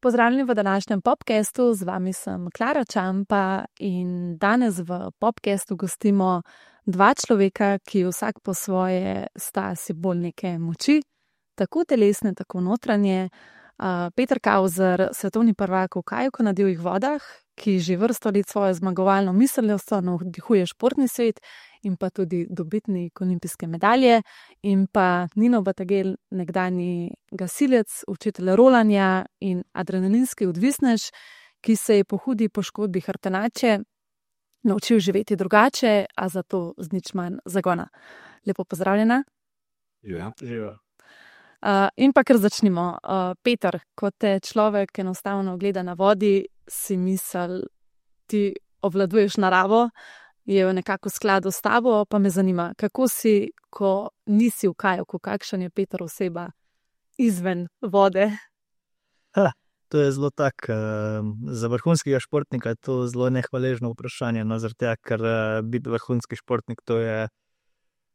Pozdravljeni v današnjem podcastu, z vami sem Klara Čampa in danes v podcastu gostimo dva človeka, ki vsak po svoje sta simbol neke moči, tako telesne, tako notranje. Peter Kauzer, svetovni prvak v kajaku na divjih vodah, ki že vrsto let svojo zmagovalno miselnostjo navdihuje športni svet, in pa tudi dobitnik olimpijske medalje, in pa Nino Batagel, nekdanji gasilec, učitelj rolanja in adrenalinski odvisnež, ki se je po hudi poškodbi hrbtenače naučil živeti drugače, a zato z nič manj zagona. Lepo pozdravljena. Živa. In pa kar začnimo. Peter, ko te človek enostavno gleda na vodi, si misel, ti obvladuješ naravo, je nekako v skladu s tabo, pa me zanima, kako si, ko nisi v kajaku, kakšen je Peter oseba izven vode? To je zelo za vrhunskega športnika je to zelo nehvaležno vprašanje, zaradi tega, ker biti vrhunski športnik, to je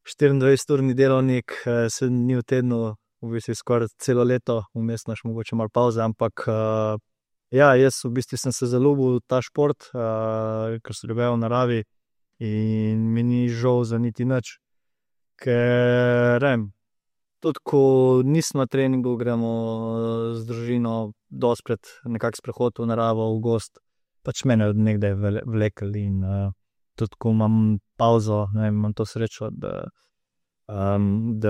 24-urni delovnik, 7 dni v tednu, v bistvu skoraj celo leto, vmes naš mogoče malo pavze, ampak jaz v bistvu sem se zaljubil v ta šport, ker sem ljubil v naravi in mi ni žal za niti nič, ker tudi ko nismo na treningu, gremo z družino dostikrat nekak sprehod v naravo, v gozd, pač mene od nekdaj vlekel in tudi ko imam pavzo, imam to srečo, da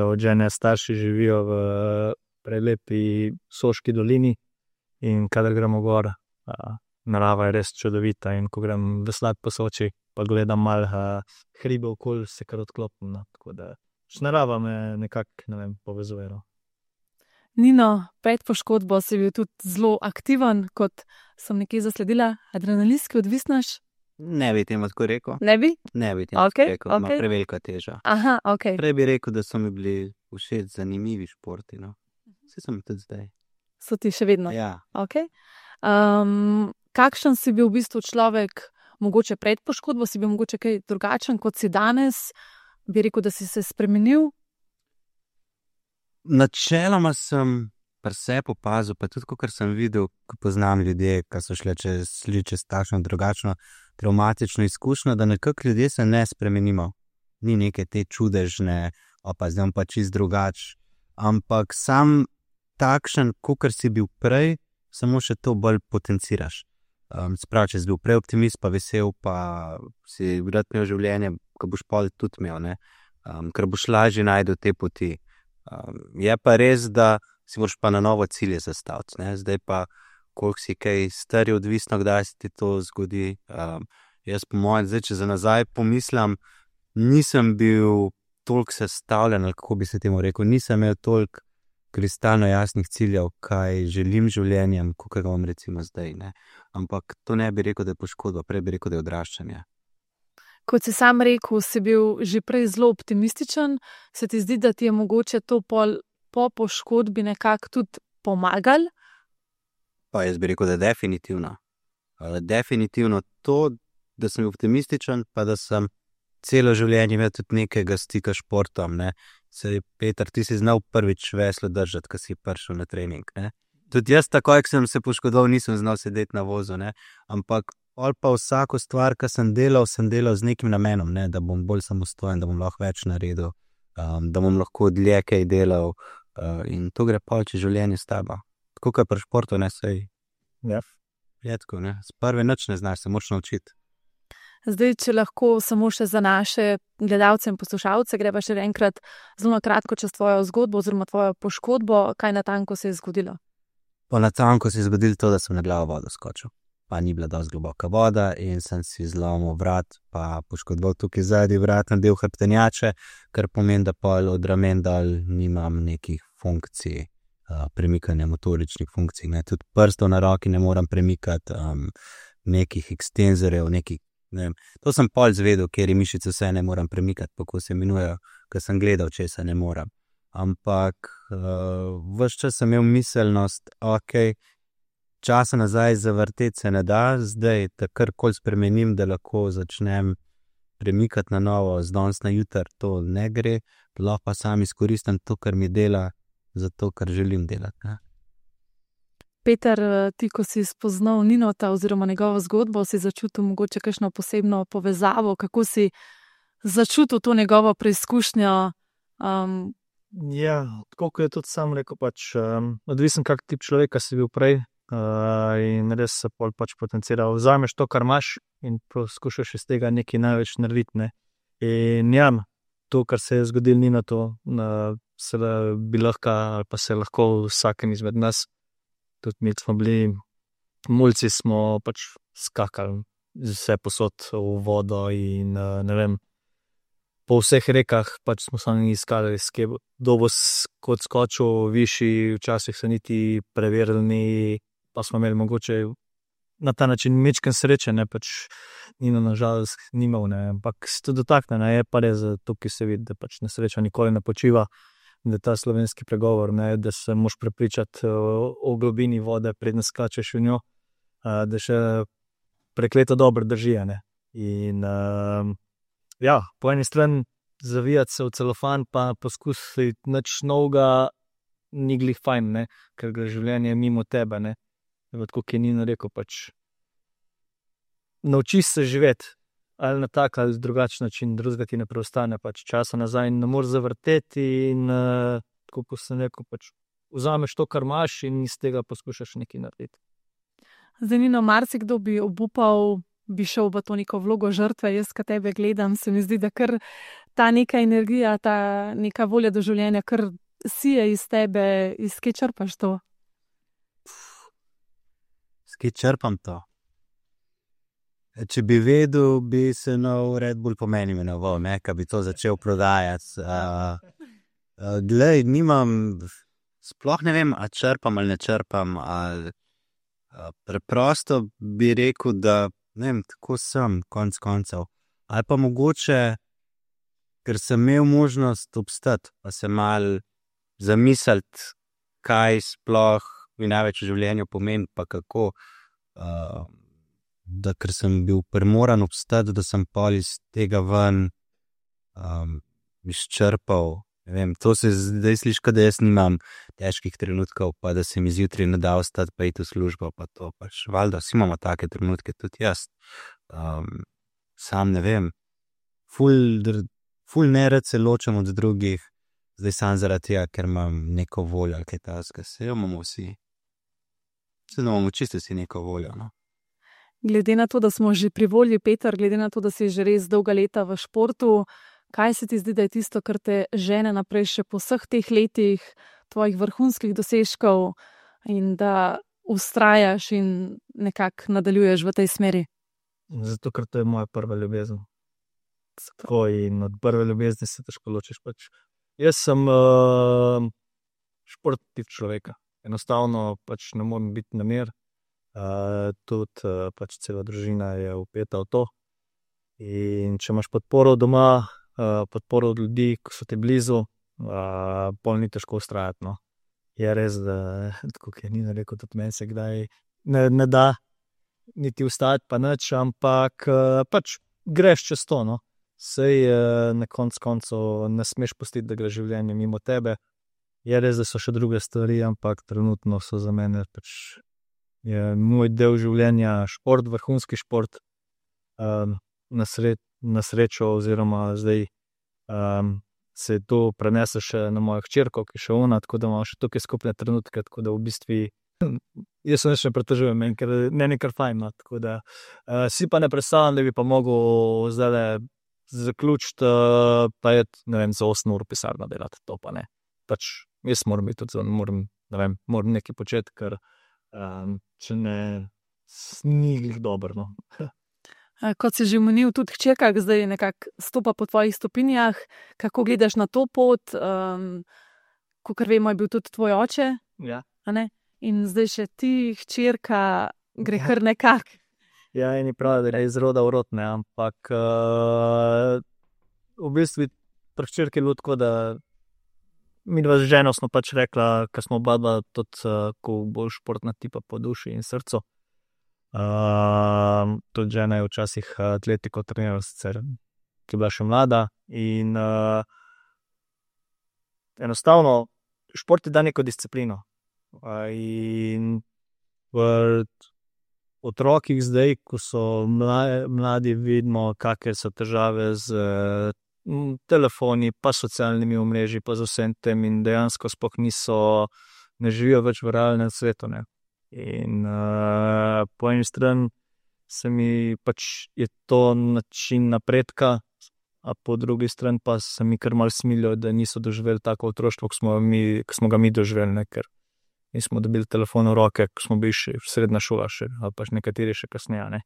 od žene starši živijo v prelepi Soški dolini in kadar gremo gor, narava je res čudovita in ko grem veslat po Soči, pa gledam malo hribe okoli, se kar odklopim, tako da narava me nekako, povezuje. Nino, pred poškodbo si bil tudi zelo aktiven, kot sem nekje zasledila, adrenalinski odvisnež. Ne bi temu tako rekel. Ne bi? Ne bi temu tako rekel, ima prevelika teža. Aha, ok. Prej bi rekel, da so mi bili všeč zanimivi športi, Vse sem tudi zdaj. So ti še vedno? Ja. Ok. Kakšen si bil v bistvu človek, mogoče pred poškodbo, si bil mogoče kaj drugačen, kot si danes? Bi rekel, da si se spremenil? Načeloma sem pri sebi opazil, pa tudi kar sem videl, ko poznam ljudje, ki so šli čez takšno drugačno travmatično izkušnjo, da nekako ljudje se ne spremenimo. Ni neke te čudežne, zdaj pa čist drugač. Ampak sam takšen, kakor si bil prej, samo še to bolj potenciraš. Sprav, če si bil prej optimist, pa vesel, pa si rad imel življenje, ko boš pol tudi imel, ker boš lažje najdel te poti. Je pa res, da si moraš pa na novo cilje zastaviti, Zdaj pa, koliko si kaj star, je odvisno, kdaj se ti to zgodi. Jaz po mojem, zdaj, če za nazaj pomislim, nisem bil toliko sestavljen, ali kako bi se temu rekel, nisem imel toliko kristalno jasnih ciljev, kaj želim življenjem, kakor ga imam recimo zdaj, Ampak to ne bi rekel, da je poškodba, prej bi rekel, da je odraščanje. Kot si sam rekel, si bil že prej zelo optimističen, se ti zdi, da ti je mogoče to po poškodbi nekako tudi pomagal? Pa jaz bi rekel, da je definitivno. Definitivno to, da sem optimističen, pa da sem celo življenje imel tudi nekega stika s športom. Saj, Peter, ti si znal prvič veslo držati, ko si prišel na trening. Tudi jaz, takoj, ko sem se poškodoval, nisem znal sedeti na vozu. Ampak pa vsako stvar, ki sem delal z nekim namenom, da bom bolj samostojen, da bom lahko več naredil, da bom lahko dlje kaj delal. In to gre pa čez življenje s tabo. Tako kot pri športu, sej. Ja. Redko, s prve nič ne znaš, se moraš naučiti. Zdaj, če lahko samo še za naše gledalce in poslušalce, greva še enkrat zelo na kratko čez tvojo zgodbo oziroma tvojo poškodbo, kaj natanko se je zgodilo? Po natanko se je zgodilo to, da sem na glavo vodo skočil. Pa ni bila dosti globoka voda in sem si zlomil vrat, pa poškodoval tukaj zadnji vratni del hrbtenjače, kar pomeni, da pol od ramen dol nimam nekih funkcij, premikanja motoričnih funkcij. Tudi prstov na roki ne moram premikati, nekih ekstenzorjev, To sem pol zvedel, kjer mišice vse ne moram premikati, kako se imenujejo, ker sem gledal, če se ne moram. Ampak ves čas sem imel miselnost, časa nazaj zavrteti se ne da, zdaj da karkoli spremenim, da lahko začnem premikati na novo, z danes na jutri to ne gre, lahko pa sam izkoristim to, kar mi dela, zato, kar želim delati. Peter, ti, ko si spoznal Ninota oziroma njegovo zgodbo, si začutil mogoče kakšno posebno povezavo, kako si začutil to njegovo preizkušnjo? Ja, tako kot je tudi sam rekel, odvisen kak tip človeka si bil prej, in res se pol potencira. Vzameš to, kar imaš, in poskušaš iz tega nekaj največ narediti, ne. In ja, to, kar se je zgodilo Ninotu, bi lahko, ali pa se lahko vsakem izmed nas, tudi mi smo bili mulci, smo skakali vse posod v vodo in ne vem, po vseh rekah smo sami iskali, kdo bo kot skočil višji, včasih se niti preverili ni, pa smo imeli mogoče na ta način majčkeno sreče, ne, Nino na žalost ni imel, ne, ampak se to dotakne, ne, je pa res, tukaj se vidi, da nesreča nikoli ne počiva, da ta slovenski pregovor, ne, da se moraš prepričati o globini vode, preden skačeš v njo, da še prekleto dobro drži, ne. In ja, po eni strani zavijati se v celofan, pa poskusiti nič novega, ni glih fajn, ne, ker gre življenje mimo tebe, ne. Tako kot je Nino rekel, naučiš se živeti, ali na tak ali drugačen način, drugega ti ne preostane, časa nazaj ne moreš zavrteti in tako kot sem rekel, vzameš to, kar imaš, in iz tega poskušaš nekaj narediti. Zdaj, Nino, marsikdo bi obupal, bi šel v to neko vlogo žrtve. Jaz, ko tebe gledam, se mi zdi, da kar ta neka energija, ta neka volja do življenja kar sije iz tebe. Iz kje črpaš to? S kje črpam to? Če bi vedel, bi se nov Red Bull po meni imenoval, ne, ko bi to začel prodajati. Glej, sploh ne vem, a črpam ali ne črpam, ali preprosto bi rekel, da ne vem, tako sem, konec koncev. Ali pa mogoče, ker sem imel možnost obstati, pa se malo zamisliti, kaj sploh mi največ v življenju pomeni, pa kako, da ker sem bil primoran obstati, da sem pol iz tega ven izčrpal. Ne vem, to se zdaj sliši, da jaz nimam težkih trenutkov, pa da se mi zjutraj ne da vstati, pa iti v službo, pa to valjda, vsi imamo take trenutke, tudi jaz. Sam ne vem, ful nerad se ločem od drugih, zdaj sam zaradi tega, ker imam neko voljo, ali kaj takega, se imamo vsi. Se imamo čisto vsi neko voljo, no. Glede na to, da smo že pri volji, Peter, glede na to, da si že res dolga leta v športu, kaj se ti zdi, da je tisto, kar te žene naprej še po vseh teh letih tvojih vrhunskih dosežkov in da vztrajaš in nekako nadaljuješ v tej smeri? Zato, ker to je moja prva ljubezen. Tako, in od prve ljubezni se težko ločiš. Jaz sem športni tip človeka. Enostavno ne morem biti na mir. Tudi cela družina je vpeta v to. In če imaš podporo doma, podporo od ljudi, ki so ti blizu, pol ni težko vztrajati, no. Je res, da tako kot je Nino rekel, tudi meni se kdaj ne da niti vstati, pa nič, ampak greš čez to, no. Sej na koncu ne smeš pustiti, da gre življenje mimo tebe. Je res, da so še druge stvari, ampak trenutno so za mene je moj del življenja šport, vrhunski šport. Na srečo oziroma zdaj se to prenese še na mojo hčerko, ki je še ona, tako da imamo še tukaj skupne trenutke, tako da v bistvu jaz se ne pretežujem, ker meni je kar fajn, no, tako da si pa ne predstavljam, da bi pa mogel zdaj zaključiti, pa je, ne vem, za 8 ur v pisarno delati, to pa ne. Jaz moram biti tudi moram nekaj početi, ker če ne, ni glih dobro, no. Kot si že omenil, tudi hčerka zdaj nekako stopa po tvojih stopinjah. Kako gledaš na to pot? Kakor vemo, je bil tudi tvoj oče. Ja. A ne? In zdaj še ti, hčerka, gre kar nekako. Ja, eni pravijo, da je iz roda v rod, ne, ampak v bistvu pri hčerki je bilo tako, da midva z ženo smo rekla, ker smo oba tudi bolj športna tipa po duši in srcu. Tudi žena je včasih atletiko trenirala, sicer, ki je bila še mlada, in enostavno šport ti da neko disciplino. In v otrokih zdaj, ko so mladi, vidimo, kakšne so težave z telefoni, pa socialnimi omrežji, pa z vsem tem in dejansko sploh ne živijo več v realnem svetu, ne. In po eni strani se mi pač je to način napredka, a po drugi strani pa se mi kar malo smilijo, da niso doživeli tako otroštvo, ko smo ga mi doživeli, ne, ker nismo dobili telefon v roke, ko smo bili še srednja šola še, ali pa nekateri še kasneje, ne.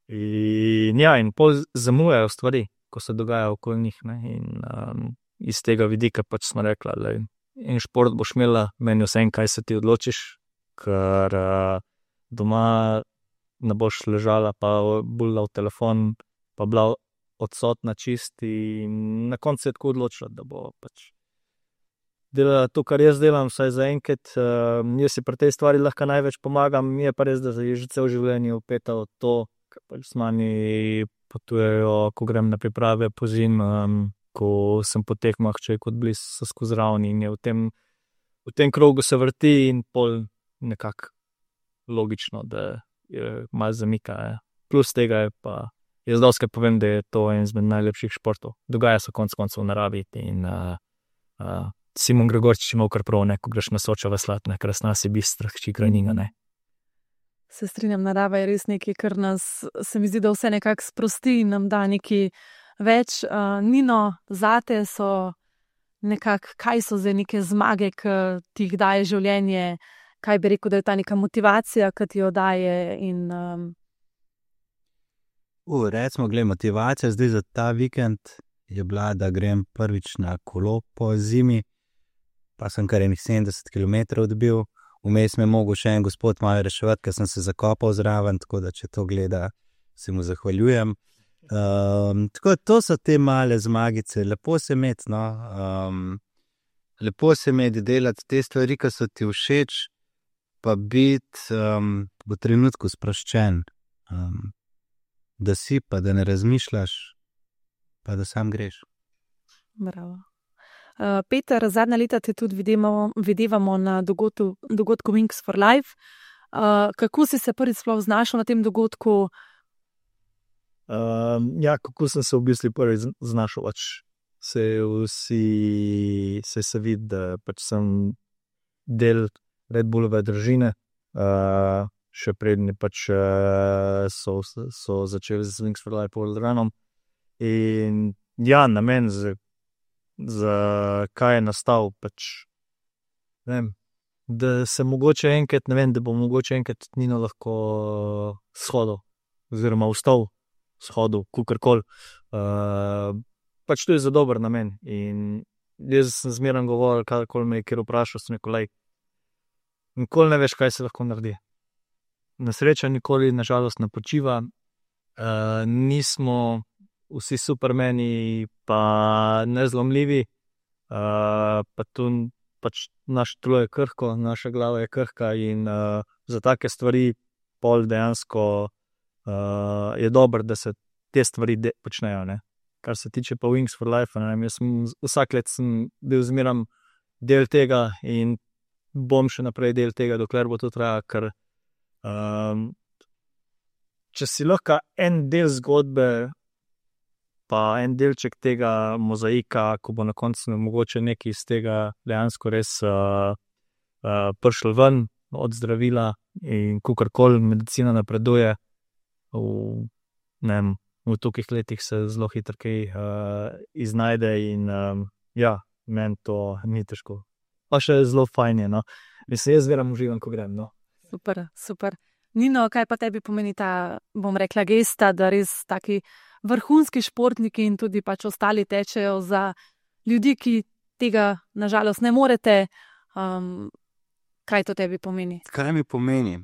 In pol zamujajo stvari, ko se dogajajo okoli njih, ne, in iz tega vidika pač smo rekla, da en šport boš imela, meni vsem, kaj se ti odločiš, ker doma ne boš ležala, pa buljala v telefon, pa bila odsotna čisti in na koncu se je tako odločila, da bo pač delala to, kar jaz delam, vsaj zaenkrat. Jaz si pri tej stvari lahko največ pomagam, mi je pa res, da je že cel življenje vpeta v to, ker pač z mani potujejo, ko grem na priprave po zim, ko sem po tekmah, če je kot bliz, so skozi ravni in je v tem krogu se vrti in pol nekako logično, da je malo zamika. Plus tega je pa, jaz dostikrat povem, da je to en izmed najlepših športov. Dogaja se konec koncev v naravi in Simon Gregorčič ima kar prav, ne, ko greš na Sočo veslati, ne, krasna si bistra, hči Kraninga, ne. Se strinjam, narava je res nekaj, kar nas, se mi zdi, da vse nekako sprosti in nam da nekaj več. Nino, zate so nekako, kaj so zdaj neke zmage, ki ti jih daje življenje, kaj bi rekel, da je ta neka motivacija, ki ti jo daje in recimo, glej, motivacija zdaj za ta vikend je bila, da grem prvič na kolo po zimi, pa sem kar enih 70 km odbil. Vmes me je mogel še en gospod malo reševati, ker sem se zakopal zraven, tako da če to gleda, se mu zahvaljujem. Tako to so te male zmagice, lepo se imeti, no. Lepo se imeti delati te stvari, ki so ti všeč, pa biti v trenutku sproščen. Da si, pa da ne razmišljaš, pa da sam greš. Bravo. Peter, zadnja leta te tudi videvamo na dogodku Wings for Life. Kako si se prvič sploh znašel na tem dogodku? Kako sem se v bistvu prvič znašel, pač se vidi, da pač sem del Red Bullove družine, še prednji pač so začeli z Wings for Life World Runom. In namen za kaj je nastal, pač ne vem, da se mogoče enkrat, ne vem, da bo mogoče enkrat Nino lahko shodil, oziroma vstal shodil, kakorkoli. Pač to je za dober namen in jaz sem zmeraj govoril, kadarkoli me je kjer vprašal, sem rekel, lej, nikoli ne veš, kaj se lahko naredi. Nesreča nikoli, nažalost, ne počiva, nismo vsi supermeni, pa nezlomljivi, pa tu pač naše telo je krhko, naša glava je krhka in za take stvari pol dejansko je dobro, da se te stvari počnejo, ne. Kar se tiče pa Wings for Life, ne vem, jaz vsak let sem bil zmeraj del tega in bom še naprej del tega, dokler bo to trajalo, ker če si lahko en del zgodbe, pa en delček tega mozaika, ko bo na koncu mogoče nekaj iz tega dejansko res prišlo ven od zdravila in kakorkoli medicina napreduje, v tolikih letih se zelo hitro kaj iznajde in meni to ni težko. Pa še zelo fajn je, no. Mislim, jaz zmeraj uživam, ko grem, no. Super, super. Nino, kaj pa tebi pomeni ta, bom rekla, gesta, da res taki vrhunski športniki in tudi pač ostali tečejo za ljudi, ki tega nažalost ne morete. Kaj to tebi pomeni? Kaj mi pomeni?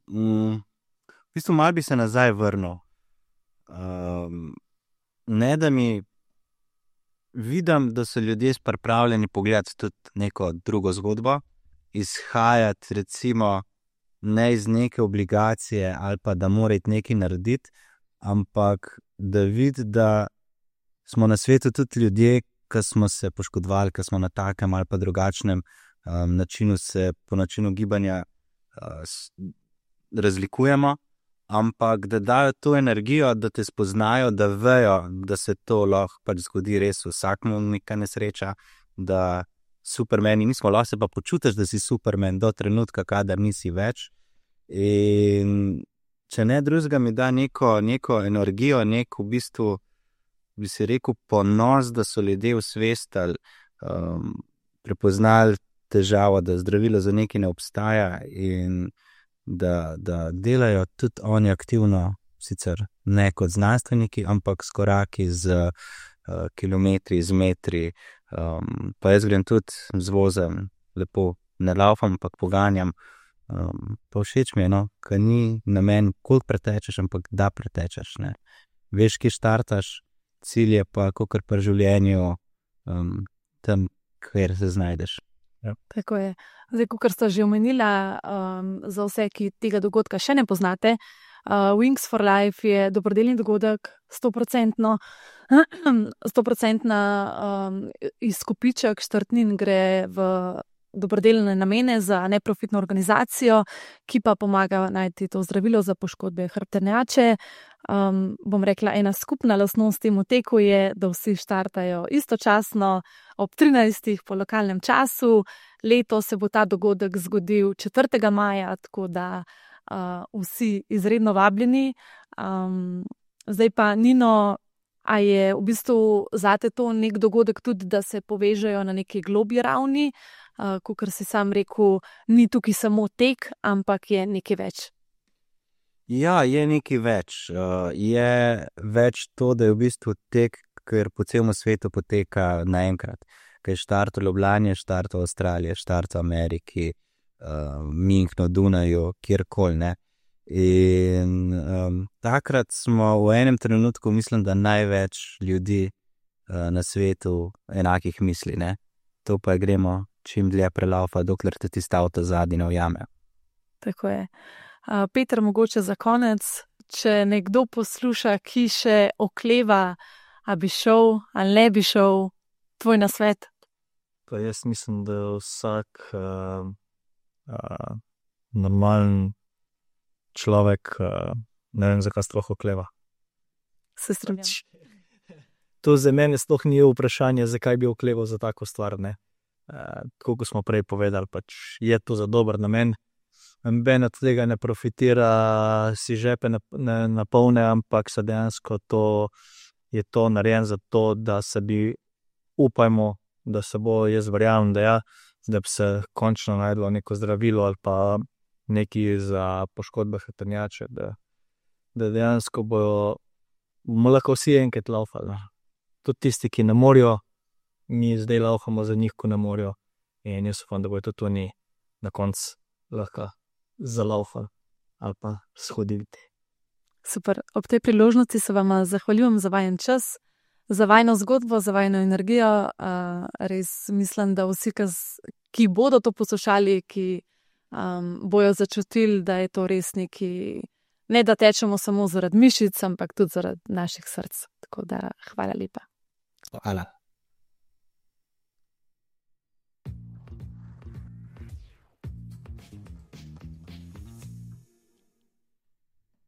V bistvu malo bi se nazaj vrnil. Ne, da mi vidim, da so ljudje pripravljeni pogledati tudi neko drugo zgodbo, izhajati recimo ne iz neke obligacije ali pa da mora iti nekaj narediti, ampak da vidi, da smo na svetu tudi ljudje, ki smo se poškodovali, ki smo na takem ali pa drugačnem načinu se po načinu gibanja razlikujemo, ampak da dajo to energijo, da te spoznajo, da vejo, da se to lahko pač zgodi res vsakmu neka nesreča, da Supermani nismo, lahko se pa počutiš, da si Superman do trenutka, kadar nisi več. In če ne drugega, mi da neko energijo, v bistvu, bi si rekel, ponos, da so ljudje osvestili, prepoznali težavo, da zdravilo za nekaj ne obstaja in da delajo tudi oni aktivno, sicer ne kot znanstveniki, ampak s koraki, z kilometri, z metri. Pa jaz grem tudi z vozem, lepo ne laufam, ampak poganjam. Pa všeč mi je, ker ni namen, koliko pretečeš, ampak da pretečeš. Ne? Veš, ki štartaš, cilj je pa, kakor pri življenju, tam, kjer se znajdeš. Ja. Tako je. Zdaj, kot ste že omenila, za vse, ki tega dogodka še ne poznate, Wings for Life je dobrodelni dogodek, 100% izkupiček štartnin gre v dobrodelne namene za neprofitno organizacijo, ki pa pomaga najti to zdravilo za poškodbe hrbtenjače. Bom rekla, ena skupna lastnost temu teku je, da vsi štartajo istočasno ob 13. po lokalnem času. Leto se bo ta dogodek zgodil 4. maja, tako da vsi izredno vabljeni. Zdaj pa, Nino, a je v bistvu zate to nek dogodek tudi, da se povežejo na neki globlji ravni, kakor si sam rekel, ni tukaj samo tek, ampak je nekaj več? Ja, je nekaj več. Je več to, da je v bistvu tek, ker po celem svetu poteka naenkrat. Ker je štart v Ljubljani, štart v Avstraliji, štart v Ameriki, Münchnu, Dunaju, kjerkoli, ne. In takrat smo v enem trenutku, mislim, da največ ljudi na svetu enakih misli, ne. To pa gremo čim dlje prelaufa, dokler te tisti avto zadnji ne ujame. Tako je. Peter, mogoče za konec, če nekdo posluša, ki še okleva, a bi šel ali ne bi šel, tvoj nasvet? Pa jaz mislim, da vsak normalen človek, ne vem, zakaj sploh okleva. Se strinjam. To za mene sploh ni vprašanje, zakaj bi okleval za tako stvar, ne. Tako kot smo prej povedali, pač je to za dober namen. Noben od tega ne profitira, si žepe ne napolne, ampak se dejansko je to narejen za to, da se bi, upajmo, da se bo, jaz verjamem, da bi se končno najdlo neko zdravilo ali pa nekaj za poškodbe hrbtenjače, da dejansko bomo lahko vsi enkrat laufali. Tudi tisti, ki ne morejo, mi zdaj laufamo za njih, ko ne morejo, in jaz upam, da bojo tudi oni na koncu lahko zalaufali ali pa shodili. Super. Ob tej priložnosti se vam zahvaljujem za vajen čas, za vajno zgodbo, za vajno energijo. Res mislim, da vsi, ki bodo to poslušali, ki bojo začutili, da je to res neki, ne da tečemo samo zaradi mišic, ampak tudi zaradi naših src. Tako da hvala lepa. Hvala.